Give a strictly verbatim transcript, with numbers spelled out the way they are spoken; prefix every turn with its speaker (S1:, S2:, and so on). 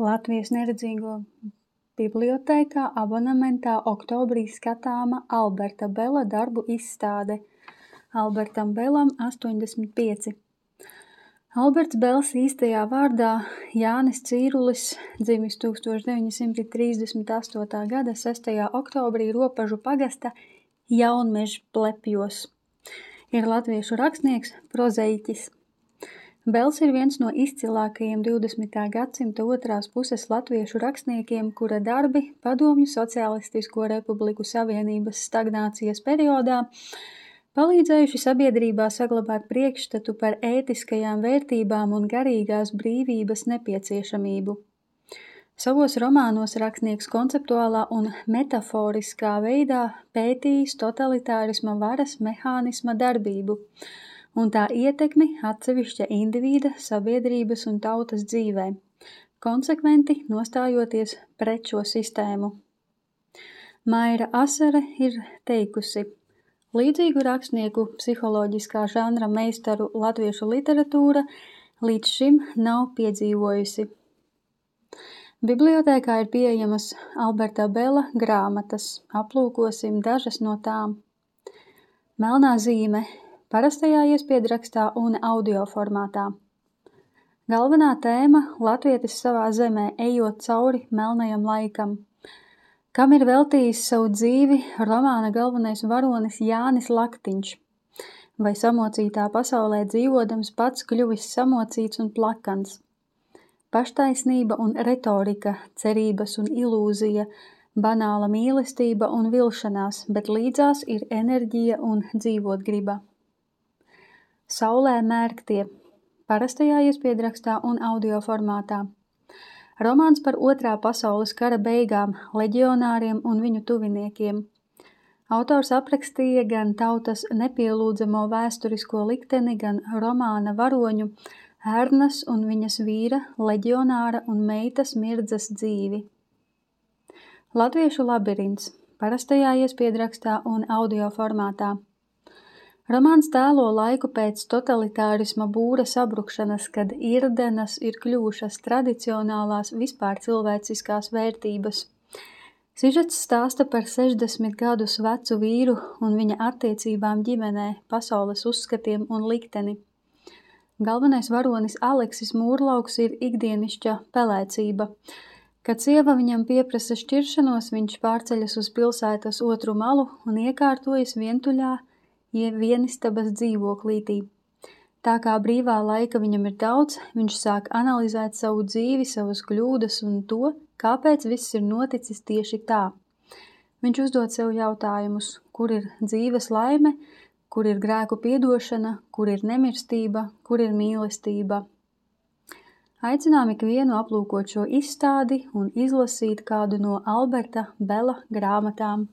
S1: Latvijas neredzīgo bibliotēkā abonementā oktobrī skatāma Alberta Bela darbu izstāde. Albertam Belam astoņdesmit pieci. Alberts Bels īstajā vārdā Jānis Cīrulis, dzimis tūkstoš deviņi simti trīsdesmit astotā gada sestajā oktobrī Ropažu pagasta Jaunmežplepjos. Ir latviešu rakstnieks, prozaiķis. Bels ir viens no izcilākajiem divdesmitā gadsimta otrās puses latviešu rakstniekiem, kura darbi Padomju Socialistisko Republiku Savienības stagnācijas periodā palīdzējuši sabiedrībā saglabāt priekšstatu par ētiskajām vērtībām un garīgās brīvības nepieciešamību. Savos romānos rakstnieks konceptuālā un metaforiskā veidā pētījis totalitārisma varas mehānisma darbību un tā ietekmi atsevišķa individa, sabiedrības un tautas dzīvē, konsekventi nostājoties pret šo sistēmu. Maira Asare ir teikusi: līdzīgu rakstnieku psiholoģiskā žanra meistaru latviešu literatūra līdz šim nav piedzīvojusi. Bibliotēkā ir pieejamas Alberta Bela grāmatas, aplūkosim dažas no tām. Melnā zīme parastajā iespiedrakstā un audio formātā. Galvenā tēma – latvietis savā zemē, ejot cauri melnajam laikam. Kam ir veltījis savu dzīvi romāna galvenais varonis Jānis Laktiņš, vai samocītā pasaulē dzīvodams pats kļuvis samocīts un plakans. Paštaisnība un retorika, cerības un ilūzija, banāla mīlestība un vilšanās, bet līdzās ir enerģija un dzīvotgriba. Saulē mērgtie, parastajā iespiedrakstā un audio formātā. Romāns par otrā pasaules kara beigām, leģionāriem un viņu tuviniekiem. Autors aprakstīja gan tautas nepielūdzamo vēsturisko likteni, gan romāna varoņu Ērnas un viņas vīra, leģionāra un meitas Mirdzas dzīvi. Latviešu labirints, parastajā iespiedrakstā un audio formātā. Romāns tēlo laiku pēc totalitārisma būra sabrukšanas, kad irdenas ir kļuvušas tradicionālās vispār cilvēciskās vērtības. Sižets stāsta par sešdesmit gadus vecu vīru un viņa attiecībām ģimenē, pasaules uzskatiem un likteni. Galvenais varonis Aleksis Mūrlauks ir ikdienišķa pelēcība. Kad sieva viņam pieprasa šķiršanos, viņš pārceļas uz pilsētas otru malu un iekārtojas vientuļā, vienistabas dzīvoklītī. Tā kā brīvā laika viņam ir daudz, viņš sāk analizēt savu dzīvi, savas kļūdas un to, kāpēc viss ir noticis tieši tā. Viņš uzdod sev jautājumus, kur ir dzīves laime, kur ir grēku piedošana, kur ir nemirstība, kur ir mīlestība. Aicinām ikvienu aplūkot šo izstādi un izlasīt kādu no Alberta Bela grāmatām.